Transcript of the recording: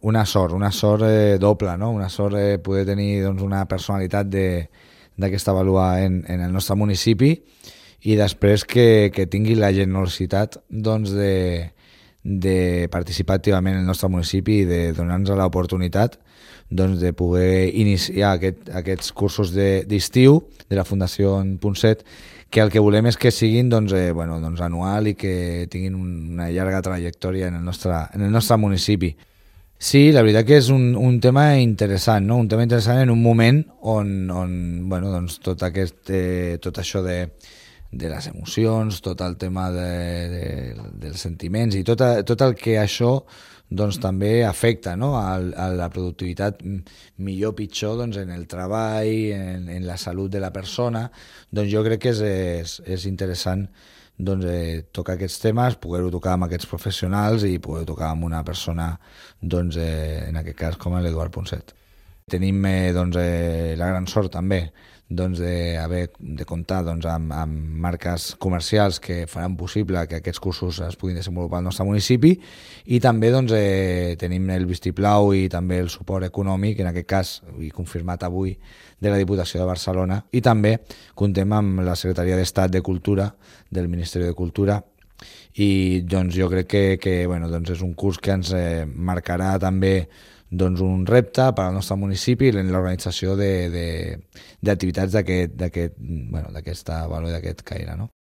una sort doble, no? Una sort poder tenir doncs, una personalitat d'aquesta vàlua en el nostre municipi i després que tingui la generositat doncs, de participar activament en el nostre municipi i de donar-nos l'oportunitat doncs, de poder iniciar aquests cursos d'estiu de la Fundació Ponset, que el que volem és que siguin doncs, anual i que tinguin una llarga trajectòria en el nostre municipi. Sí, la veritat que és un tema interessant, no? Un tema interessant en un moment on doncs, tot això de les emocions, tot el tema dels sentiments i tot el que això doncs, també afecta, no? a la productivitat millor o pitjor doncs, en el treball, en la salut de la persona. Doncs jo crec que és interessant doncs, tocar aquests temes, poder-ho tocar amb aquests professionals i poder tocar amb una persona, doncs, en aquest cas com l'Eduard Ponset. Tenim doncs, la gran sort també doncs, de comptar doncs, amb marques comercials que faran possible que aquests cursos es puguin desenvolupar al nostre municipi i també doncs, tenim el vistiplau i també el suport econòmic, en aquest cas, i confirmat avui, de la Diputació de Barcelona, i també comptem amb la Secretaria d'Estat de Cultura del Ministeri de Cultura i doncs, jo crec que doncs, és un curs que ens marcarà també doncs, un repte per al nostre municipi en l'organització d'activitats d'aquesta vàlua i d'aquest caire, no?